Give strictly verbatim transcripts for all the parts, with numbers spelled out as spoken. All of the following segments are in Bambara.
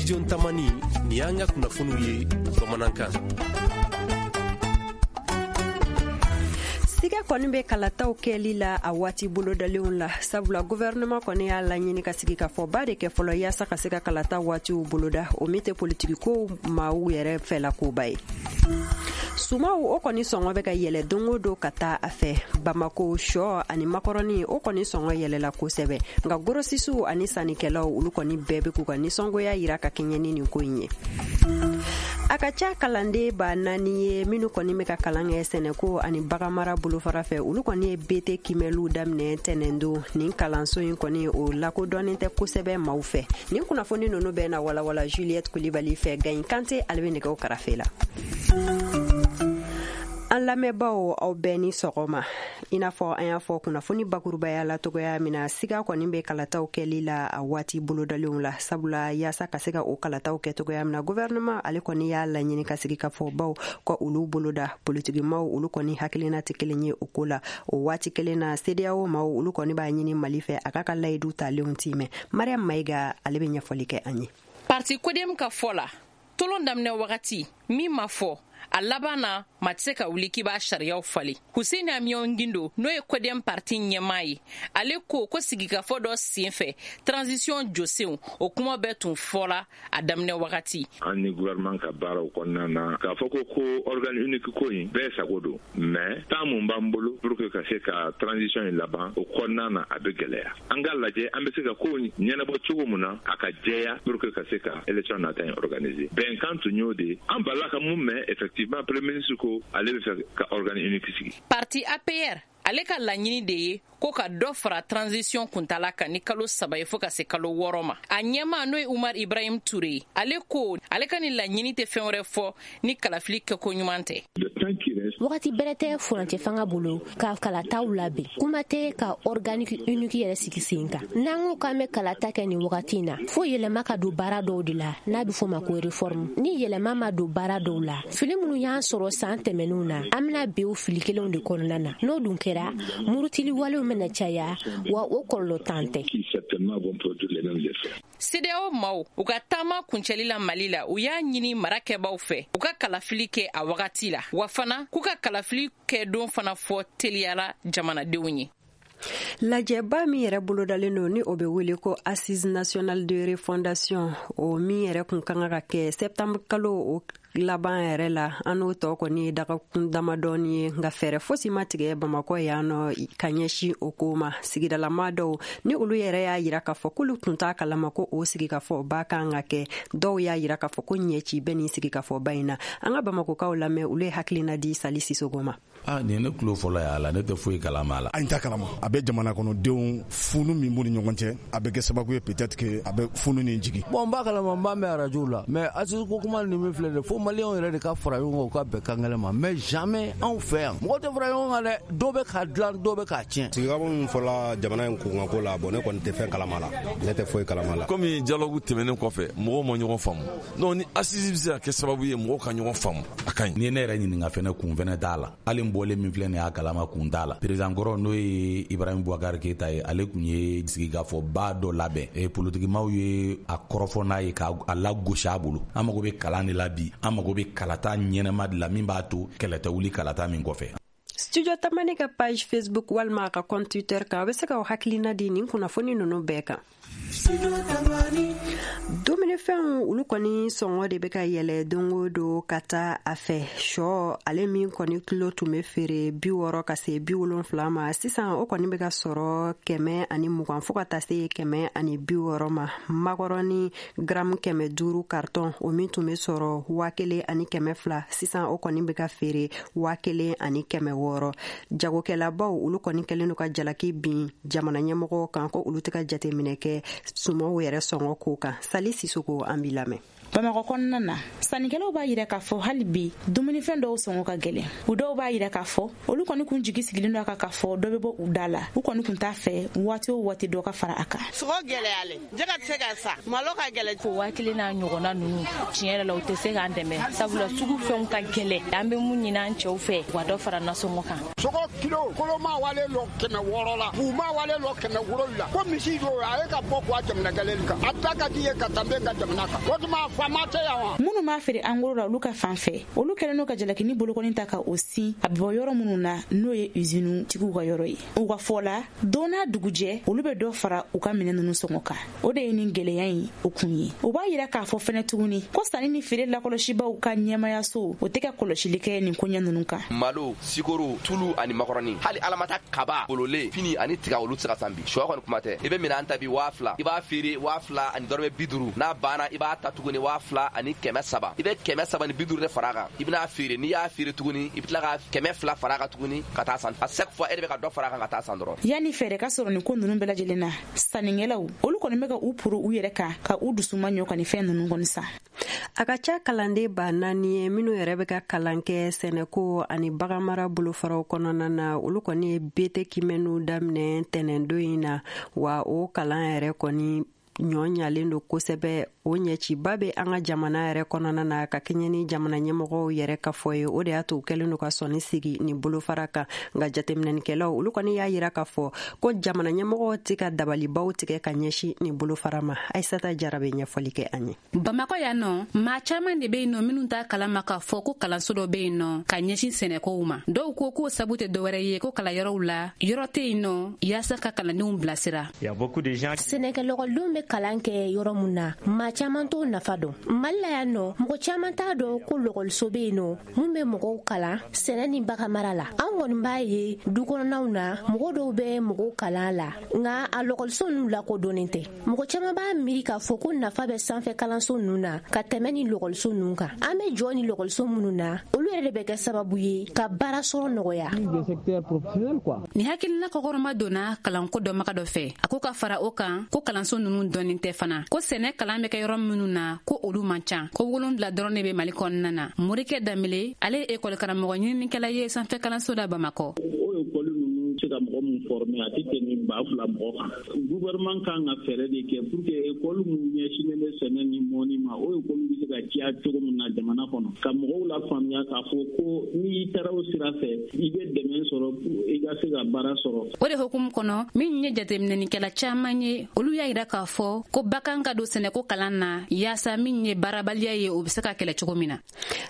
Studio Tamani, nin y'an ka kunnafoniw ye bamanankan. Siga kɔni bɛ kalataw kɛli la a waati bolodalenw la, sabula gouvernement kɔni y'a laɲini ka sigi ka fɔba de kɛ fɔlɔ yaasa ka se ka kalata waatiw boloda, o min tɛ politikikow maaw yɛrɛ fɛla koba ye. Sumaw o kɔni sɔngɔ bɛ ka yɛlɛ don o don ka taa a fɛ. Bamako sɔ ani makɔrɔni o kɔni sɔngɔ yɛlɛla kosɛbɛ, nka gorosisiw ani sannikɛlaw olu kɔni bɛɛ bɛ k'u ka nisɔngoya yira ka kɛɲɛ ni nin ko in ye. A ka ca kalanden ba naani ye minnu kɔni bɛ ka kalan kɛ sɛnɛko ani baganmara bolofara fɛ, olu kɔni ye B T kimɛliw daminɛ tɛnɛndon. Nin kalanso in kɔni o lakodɔnnen tɛ kosɛbɛ maaw fɛ. Nin kunnafoni ninnu bɛɛ na walawala Juliette Kulibali fɛ. Gayin Kante ale bɛ nɛgɛw karafe la. An lamɛnbaaw, aw bɛɛ ni sɔgɔma. I n'a fɔ an y'a fɔ kunnafoni bakurubaya la togoya min na, siga kɔni bɛ kalataw kɛli la a waati bolodalenw la, sabula yaasa ka se ka o kalataw kɛ togoya min na, gouvernement ale kɔni y'a laɲini ka sigi ka fɔ baw ka olu boloda. Politikimaw olu kɔni hakilina tɛ kelen ye o ko la. O waati kelen na, CEDEAO maaw olu kɔni b'a ɲini Mali fɛ a k'a ka layidu talenw timɛ. Mariam Mayiga ale bɛ ɲɛfɔli kɛ an ye. Parti CODEM ka fɔ la, tolon daminɛ wagati min ma fɔ a laban na, ma tɛ se ka wuli k'i b'a sariyaw falen. Hussein Amion Gindo, n'o ye CODEM parti ɲɛmaa ye, ale ko ko sigikafɔ dɔ sen fɛ transition jɔsenw, o kuma bɛɛ tun fɔla a daminɛ wagati. An ni gouvernement ka baaraw kɔnɔna na, k'a fɔ ko ko organe unique ko in bɛɛ sago don, mais temps mun b'an bolo pour que ka se ka transition in laban, o kɔnɔna na a bɛ gɛlɛya. An k'a lajɛ an bɛ se ka ko ɲɛnabɔ cogo mun na a ka jɛya pour que ka se ka élection nata in organiser. Bɛnkan tun y'o de ye. An balila ka mun mɛn, effectivement premier ministre ko ale bɛ fɛ ka organe unique sigi. Parti A P R ale ka laɲini de ye ko ka dɔ fara transition kuntala kan ni kalo saba ye fo ka se kalo wɔɔrɔ ma. A ɲɛmaa n'o ye Umar Ibrahim Ture, ale ko ale ka nin laɲini tɛ fɛn wɛrɛ fɔ ni kalafili kɛko ɲuman tɛ. Wagati bɛrɛ tɛ furancɛ fanga bolo ka kalataw labɛn, kuma tɛ ka organique unique yɛrɛ sigi sen kan. N'an ko k'an bɛ kalata kɛ nin wagati in na, fo yɛlɛma ka don baara dɔw de la n'a bɛ fɔ ma ko réforme. Ni yɛlɛma ma don baara dɔw la, fili minnu y'an sɔrɔ san tɛmɛnenw na, an bɛna bin o fili kelenw de kɔnɔna na. N'o dun kɛra, murutili walew bɛna caya, wa o kɔlɔlɔ tan tɛ. CEDEAO maaw u ka taama kuncɛli la Mali la, u y'a ɲini marakɛbaw fɛ u ka kalafili kɛ a wagati la, wa fana k'u ka kalafili kɛ don fana fɔ teliyala jamanadenw ye. Lajɛba min yɛrɛ bolodalen don ni o bɛ wele ko Assise nationale de refondation, o min yɛrɛ kun kan ka kɛ septembre kalo o laban yɛrɛ la, an n'o tɔ kɔni ye dagakun damadɔni ye, nka fɛɛrɛ fosi ma tigɛ Bamakɔ yan nɔ ka ɲɛsin o ko ma. Sigidalama dɔw ni olu yɛrɛ y'a yira k'a fɔ k'olu tun t'a kalama ko o sigikafɔba kan ka kɛ, dɔw y'a yira k'a fɔ ko ɲɛci bɛ nin sigikafɔba in na. An ka Bamakokaw lamɛn, olu ye hakilina di Sali Sisoko ma. Ah, nin ye ne tulo fɔlɔ ye a la, ne tɛ foyi kalama a la. An t'a kalama. A bɛ jamana kɔnɔdenw funu min b'u ni ɲɔgɔn cɛ, a bɛ kɛ sababu ye peut-être que a bɛ funu nin jigin. Bon, n b'a kalama, n b'a mɛn arajo la, mais assise ko kuma nin min filɛ dɛ, fo maliyɛnw yɛrɛ de ka fara ɲɔgɔn kan u ka bɛn kan kelen ma, mais jamais anw fɛ yan mɔgɔ tɛ fara ɲɔgɔn kan dɛ, dɔw bɛ k'a dilan, dɔw bɛ k'a tiɲɛ. Sigikafɔ min fɔla jamana in kunkanko la, bon ne kɔni tɛ fɛn kalama la, ne tɛ foyi kalama la. Komi dialogue tɛmɛnen kɔfɛ mɔgɔw ma ɲɔgɔn faamu, donc ni assise bɛ se ka kɛ sababu ye mɔgɔw ka ɲɔgɔn faamu, a ka ɲi. Ni ne yɛrɛ ɲininka fɛnɛ, kun fɛnɛ t'a la. Hali n bɔlen min filɛ nin y'a kalama, kun t'a la. Président kɔrɔ n'o ye Ibrahim Boubacar Keita ye, ale kun ye sigikafɔba dɔ labɛn. E politikimaw ye a kɔrɔfɔ n'a ye k'a lagosi a bolo. An mago bɛ kalan de la bi, an mago bɛ kalata ɲɛnama de la min b'a to kɛlɛ tɛ wuli kalata min kɔfɛ. Studio Tamani ka page Facebook walima a ka compte Twitter kan, a bɛ se k'aw hakilina di nin kunnafoni ninnu bɛɛ kan. Dumunifɛnw olu kɔni sɔngɔ de bɛ ka yɛlɛ don o don ka taa a fɛ. Sɔ ale min kɔni kilo tun bɛ feere bi wɔɔrɔ ka se bi wolonfila ma, sisan o kɔni bɛ ka sɔrɔ kɛmɛ ani mugan fo ka taa se kɛmɛ ani bi wɔɔrɔ ma. Makɔrɔni garamu kɛmɛ duuru carton, o min tun bɛ sɔrɔ waa kelen ani kɛmɛ fila, sisan o kɔni bɛ ka feere waa kelen ani kɛmɛ wɔɔrɔ. Jagokɛlabaw olu kɔni kɛlen don ka jalaki bin jamana ɲɛmɔgɔw kan ko olu tɛ ka jateminɛ kɛ sumaw yɛrɛ sɔngɔ ko kan. Sali Sisoko, an b'i lamɛn. Bamakɔ kɔnɔna na, sannikɛlaw b'a yira k'a fɔ hali bi dumunifɛn dɔw sɔngɔ ka gɛlɛn. U dɔw b'a yira k'a fɔ olu kɔni kun jigi sigilen don a kan k'a fɔ dɔ bɛ bɔ u da la. U kɔni kun t'a fɛ waati o waati dɔ ka fara a kan. Sogo gɛlɛyalen, jɛgɛ tɛ se ka san, malo ka gɛlɛn. Ko waa kelen n'a ɲɔgɔnna ninnu tiɲɛ yɛrɛ la u tɛ se k'an dɛmɛ, sabula sugu fɛnw ka gɛlɛn. An bɛ mun ɲini an cɛw fɛ, u ka dɔ fara nasɔngɔ kan. Sogo kilo koloma wale lɔ kɛmɛ wɔɔrɔ la, buuma wale lɔ kɛmɛ wolonwula. Ko misi don a ye ka bɔ k'u jamana gɛlɛn kan. A ta ka di ye ka tɛmɛ ka jamana kan. O tuma faama tɛ yan wa? Minnu b'a feere an goro la olu ka fan fɛ, olu kɛlen don ka jalakini bolokɔni ta ka o sin a bɛ bɔ yɔrɔ minnu na, n'o ye usine tigiw ka yɔrɔ ye. U ka fɔ la, don n'a dugujɛ olu bɛ dɔ fara u ka minɛn ninnu sɔngɔ kan. O de ye nin gɛlɛya in o kun ye. U b'a yira k'a fɔ fɛnɛ tuguni ko sanni ni feere lakɔlɔsibaw ka ɲɛmayaso o tɛ ka kɔlɔsili kɛ nin koɲɛ ninnu kan. Malo, sikoro, tulu ani makɔrɔni, hali alamata kaba, bololen, fini ani tiga olu tɛ se ka san bi. Sɔ kɔni kuma tɛ. I bɛ minɛn ta bi waa fila, i b'a feere waa fila ani dɔrɔmɛ bi duuru. N'a banna i b'a ta tuguni waa fila ani kɛmɛ saba. I bɛ kɛmɛ saba ni bi duuru de fara a kan. I bɛna feere, n'i y'a feere tuguni i bɛ tila ka kɛmɛ fila fara a kan tuguni ka taa san. A chaque fois e de bɛ ka dɔ fara a kan ka taa san dɔrɔn. Yanni fɛɛrɛ ka sɔrɔ nin ko ninnu bɛɛ lajɛlen na, sannikɛlaw olu kɔni bɛ ka u poro u yɛrɛ kan ka u dusuma ɲɔ ka nin fɛn ninnu kɔni san. A ka ca kalanden ba naani ye minnu yɛrɛ bɛ ka kalan kɛ sɛnɛko ani baganmara bolofaraw kɔnɔna na, olu kɔni ye bete kimɛniw daminɛ tɛnɛndon in na. Wa o kalan yɛrɛ kɔni ɲɔ ɲalen don kosɛbɛ. O ɲɛciba bɛ an ka jamana yɛrɛ kɔnɔna na ka kɛɲɛ ni jamana ɲɛmɔgɔw yɛrɛ ka fɔ ye. O de y'a to u kɛlen don ka sɔnni sigi nin bolofara kan. Nka jateminɛnikɛlaw olu kɔni y'a yira k'a fɔ ko jamana ɲɛmɔgɔw tɛ ka dabalibaw tigɛ ka ɲɛsin nin bolofara ma. Ayisata Jara bɛ ɲɛfɔli kɛ an ye. Bamakɔ yan nɔ, maa caman de bɛ yen nɔ minnu t'a kalama k'a fɔ ko kalanso dɔ bɛ yen nɔ ka ɲɛsin sɛnɛkow ma. Dɔw ko k'o sabu tɛ dɔwɛrɛ ye ko kalanyɔrɔw la yɔrɔ tɛ yen nɔ yaasa ka kalandenw bilasira. Sɛnɛkɛlɔgɔdenw bɛ kalan kɛ yɔrɔ mun na, maa caman t'o nafa dɔn. Mali la yan nɔ, mɔgɔ caman t'a dɔn ko lɔgɔliso bɛ yen nɔ mun bɛ mɔgɔw kalan sɛnɛ ni baganmara la. An kɔni b'a ye du kɔnɔnaw na, mɔgɔ dɔw bɛ mɔgɔw kalan la, nka a lɔgɔliso ninnu lakodɔnnen tɛ. Mɔgɔ caman b'a miiri k'a fɔ ko nafa bɛ sanfɛ kalanso ninnu na ka tɛmɛ ni lɔgɔliso ninnu kan. An bɛ jɔ ni lɔgɔliso minnu na, olu yɛrɛ de bɛ kɛ sababu ye ka baara sɔrɔ nɔgɔya. Nin hakilina kɔkɔrɔma donna kalanko dɔnbaga dɔ fɛ. A ko ka fara o kan ko kalanso ninnu dɔnnen tɛ fana, ko sɛnɛ kalan bɛ kɛ yɔrɔ minnu na ko olu man ca, ko wolonwula dɔrɔn de bɛ Mali kɔnɔna na. Morikɛ Danbele, ale ye ekɔli karamɔgɔ ɲininikɛla ye sanfɛ kalanso la Bamakɔ. O ekɔli ninnu se ka mɔgɔ min former a tɛ tɛmɛ ba fila mɔgɔ kan. Gouvernement kan ka fɛɛrɛ de kɛ pour que ekɔli minnu ɲɛsinnen bɛ sɛnɛ ni mɔni ma, o ekɔli bɛ se ka caya cogo min na jamana kɔnɔ, ka mɔgɔw lafaamuya k'a fɔ ko n'i taara o sira fɛ i bɛ dɛmɛ sɔrɔ i ka se ka baara sɔrɔ. O de hukumu kɔnɔ, min ye jateminɛnikɛla caman ye, olu y'a yira k'a fɔ ko bakan ka don sɛnɛko kalan na yaasa min ye baarabaliya ye o bɛ se ka kɛlɛ cogo min na.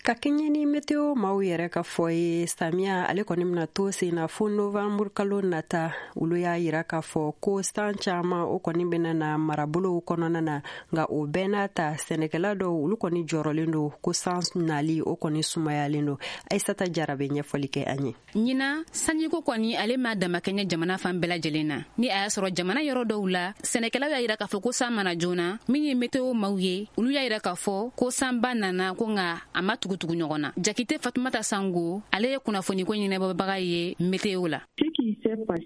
Ka kɛɲɛ ni meteo maaw yɛrɛ ka fɔ ye, samiya ale kɔni bɛna to sen na fo novembre kalo nata. Olu y'a yira k'a fɔ ko san caman o kɔni bɛna na marabolow kɔnɔna na. Nka o bɛɛ n'a ta, sɛnɛkɛla dɔw olu kɔni jɔrɔlen don ko san nali o kɔni sumayalen don. Ayisata Jara bɛ ɲɛfɔli kɛ an ye. Ɲinan sanjiko kɔni ale ma damakɛɲɛ jamana fan bɛɛ lajɛlen na. Ni a y'a sɔrɔ jamana yɔrɔ dɔw la, sɛnɛkɛlaw y'a yira k'a fɔ ko san mana joona. Min ye meteo maaw ye, olu y'a yira k'a fɔ ko sanba nana ko nka a ma tugutugu ɲɔgɔn na. Jakite Fatumata Sango, ale ye kunnafoniko ɲɛnabɔbaga ye meteo la.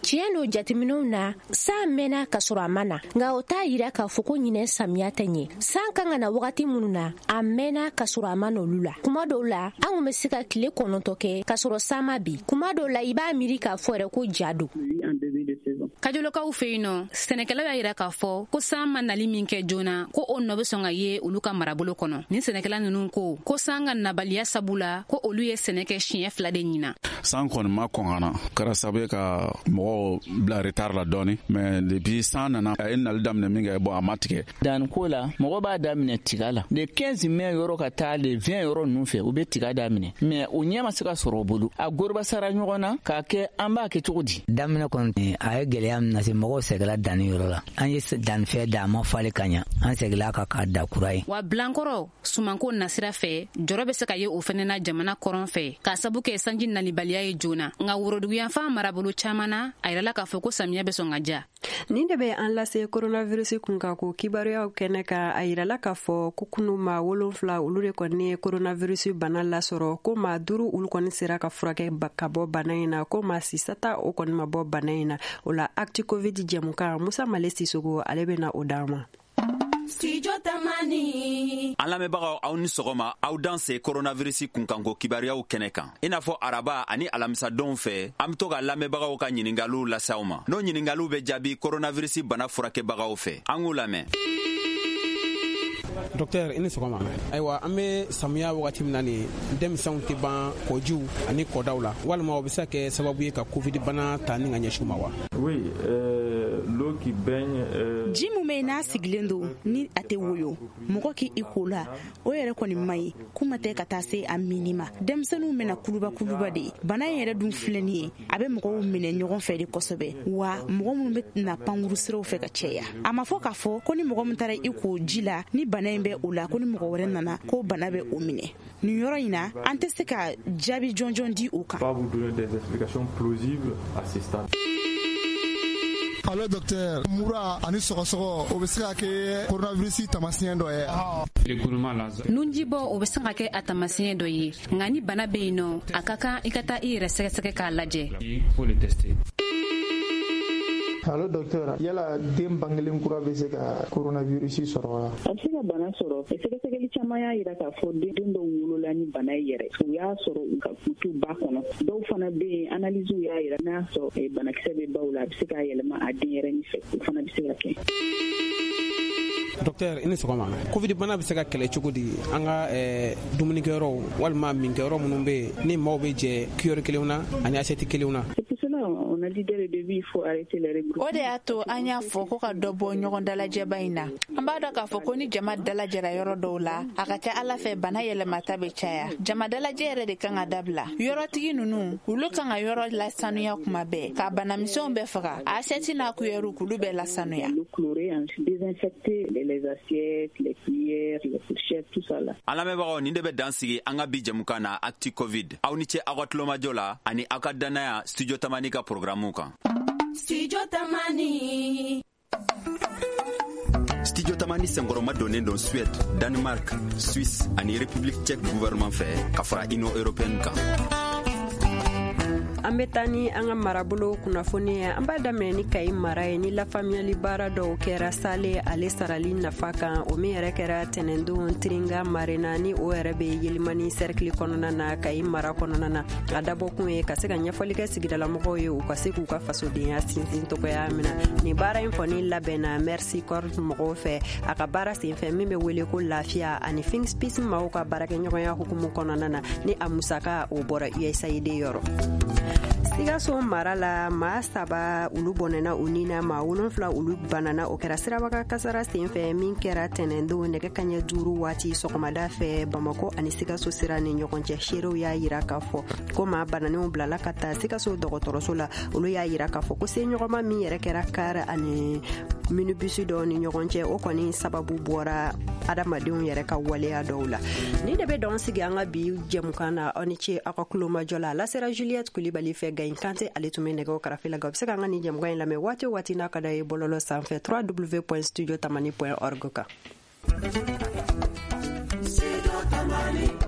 Tiɲɛ don, jateminɛw na san mɛnna ka sɔrɔ a ma na, nka o t'a yira k'a fɔ ko ɲinɛ samiya tɛ ɲɛ. San kan ka na wagati minnu na, a mɛnna ka sɔrɔ a ma na olu la. Kuma dɔw la, an kun bɛ se ka tile kɔnɔntɔn kɛ ka sɔrɔ san ma bi. Kuma dɔw la, i b'a miiri k'a fɔ yɛrɛ ko ja don. Kajolokaw fɛ yen nɔ, sɛnɛkɛlaw y'a yira k'a fɔ ko san ma nali min kɛ joona, ko o nɔ bɛ sɔn ka ye olu ka marabolo kɔnɔ. Nin sɛnɛkɛla ninnu ko ko san ka nabaliya sabu la, ko olu ye sɛnɛ kɛ siɲɛ fila de ɲina. San kɔni ma kɔn ka na, kɛra sababu ye ka mɔgɔw bila retard la dɔɔni, mais depuis san nana a ye nali daminɛ min kɛ, bon a ma tigɛ. Danniko la, mɔgɔ b'a daminɛ tiga la le quinze mai yɔrɔ ka taa le vingt yɔrɔ ninnu fɛ, u bɛ tiga daminɛ, mais o ɲɛ ma se ka sɔrɔ o bolo. A gorobasara ɲɔgɔn na k'a kɛ an b'a kɛ cogo di? Daminɛ kɔni a ye gɛlɛya min lase, mɔgɔw sɛgɛla danni yɔrɔ la. An ye dannifɛn da, a ma falen ka ɲa, an sɛgɛla ka k'a da kura ye. Wa bilankɔrɔ sumanko nasira fɛ, jɔrɔ bɛ se ka ye o fɛnɛ na jamana kɔrɔn fɛ, k'a sabu kɛ sanji nalibaliya ye joona. Nka woroduguyanfan marabolo caman na, a yirala k'a fɔ ko samiya bɛ sɔn ka ja. Nin de bɛ an lase coronavirus kun kan ko kibaruyaw kɛnɛ kan. A yirala k'a fɔ ko kunu maa wolonfila olu de kɔni ye coronavirus bana lasɔrɔ, ko maa duuru olu kɔni sera ka furakɛ ka bɔ bana in na, ko maa sisata o kɔni ma bɔ bana in na. O la Actu Covid jɛmukan, Musa Male Sisogo ale bɛna o d'an ma. Studio Tamani. An lamɛnbagaw, aw ni sɔgɔma. Aw danse coronavirus kunkanko kibaruyaw kɛnɛ kan. I n'a fɔ araba ani alamisadonw fɛ, an be to ka lamɛnbagaw ka ɲiningaliw lase aw ma. N'o ɲiningaliw bɛ jaabi coronavirus bana furakɛbagaw fɛ. An k'u lamɛn. Docteur, i ni sɔgɔma. Ayiwa, an bɛ samiya wagati min na nin, denmisɛnw tɛ ban kɔjiw ani kɔdaw la, walima o bɛ se ka kɛ sababu ye ka covid bana ta ni ka ɲɛsin u ma wa? Oui, euh, l'eau qui baigne euh... Ji mun bɛ yen n'a sigilen don, ni a tɛ woyo, mɔgɔ k'i i ko la, o yɛrɛ kɔni man ɲi. Kuma tɛ ka taa se a minni ma. Denmisɛnninw bɛna kuluba kuluba de ye. Bana in yɛrɛ dun filɛ nin ye, a bɛ mɔgɔw minɛ ɲɔgɔn fɛ de kosɛbɛ, wa mɔgɔ minnu bɛ na pankuru siraw fɛ ka caya. A ma fɔ k'a fɔ ko ni mɔgɔ min taara i ko ji la ni bana in bɛ o la, ko ni mɔgɔ wɛrɛ nana ko bana bɛ o minɛ. Nin yɔrɔ in na, an tɛ se ka jaabi jɔnjɔn di o kan. Pas vous donner des explications plausibles à ce stade. Allo docteur, mura ani sɔgɔsɔgɔ, o bɛ se ka kɛ coronavirus taamasiyɛn dɔ ye? Nunjibɔ, o bɛ se ka kɛ a taamasiyɛn dɔ ye, nka ni bana bɛ yen nɔ, a ka kan i ka taa i yɛrɛ sɛgɛsɛgɛ k'a lajɛ. Allo docteur, yala den bangelen kura bɛ se ka coronavirus sɔrɔ wa? A bɛ se ka bana sɔrɔ. Sɛgɛsɛgɛli caman y'a jira k'a fɔ den dɔw wolola ni bana ye yɛrɛ, u y'a sɔrɔ u ka u ba kɔnɔ. Dɔw fana bɛ yen, analyse y'a jira n'a sɔrɔ banakisɛ bɛ baw la, a bɛ se k'a yɛlɛma a denyɛrɛnin fɛ, o fana bɛ se ka kɛ. Docteur, i ni sɔgɔma. Covid bana bɛ se ka kɛlɛ cogo di an ka dumunikɛyɔrɔw walima minkɛyɔrɔ minnu bɛ yen ni maaw bɛ jɛ cuillère kelenw na ani assiette kelenw na? O de y'a to an y'a fɔ ko ka dɔ bɔ ɲɔgɔn dalajɛba in na. An b'a dɔn k'a fɔ ko ni jama dalajɛra yɔrɔ dɔw la, a ka ca Ala fɛ bana yɛlɛmata bɛ caya. Jama dalajɛ yɛrɛ de kan ka dabila. Yɔrɔtigi ninnu, olu kan ka yɔrɔ lasanuya kuma bɛɛ, ka banamisɛnw bɛɛ faga, a assiette n'a cuillère k'olu bɛɛ lasanuya. An lamɛnbagaw, nin de bɛ dan sigi an ka bi jɛmukan na Actu Covid. Aw ni ce aw ka tulomajɔ la ani aw ka dannaya Studio Tamani ka programme kan. Studio Tamani. Studio Tamani senkɔrɔma donnen don Suède, Danemark, Suisse ani République tchèque gouvernement fɛ, ka fara Union européenne kan. An bɛ taa ni an ka marabolo kunnafoni ye. An b'a daminɛ ni Kayi mara ye, ni lafaamuyali baara dɔw kɛra sale ale sarali nafa kan, o min yɛrɛ kɛra tɛnɛndon Tiringa Marena, ni o yɛrɛ bɛ Yelimani cercle kɔnɔna na, Kayi mara kɔnɔna na. A dabɔkun ye ka se ka ɲɛfɔli kɛ sigidalamɔgɔw ye, u ka se k'u ka fasodenya sinsin togoya min na. Nin baara in kɔni labɛnna Mercy Corps mɔgɔw fɛ a ka baara senfɛ min bɛ wele ko lafiya ani Think Peace maaw ka baarakɛɲɔgɔnya hukumu kɔnɔna na, ni a musaka o bɔra U S A I D yɔrɔ. Sikaso mara la, maa saba olu bɔnɛna u ni na, maa wolonfila olu banana. O kɛra sirabaga kasara senfɛ min kɛra tɛnɛndon nɛgɛ kaɲɛ duuru waati sɔgɔmada fɛ Bamakɔ ani Sikaso sira ni ɲɔgɔn cɛ. Seerew y'a yira k'a fɔ ko maa bananenw bilala ka taa Sikaso dɔgɔtɔrɔso la. Olu y'a yira k'a fɔ ko seɲɔgɔnma min yɛrɛ kɛra kar ani minibus dɔw ni ɲɔgɔn cɛ, o kɔni sababu bɔra adamadenw yɛrɛ ka waleya dɔw la. Ni de bɛ dɔn sigi an ka bi jɛmukan na. Aw ni ce aw ka kulomajɔ la. A lasera Juliette Kulibali fɛ. Gayin Kante ale tun bɛ nɛgɛw karafe la. Nka u bɛ se k'an ka nin jɛmukan in lamɛn waati o waati n'a ka d'a ye bɔlɔlɔ sanfɛ w w w point studio tamani point org kan. Studio Tamani.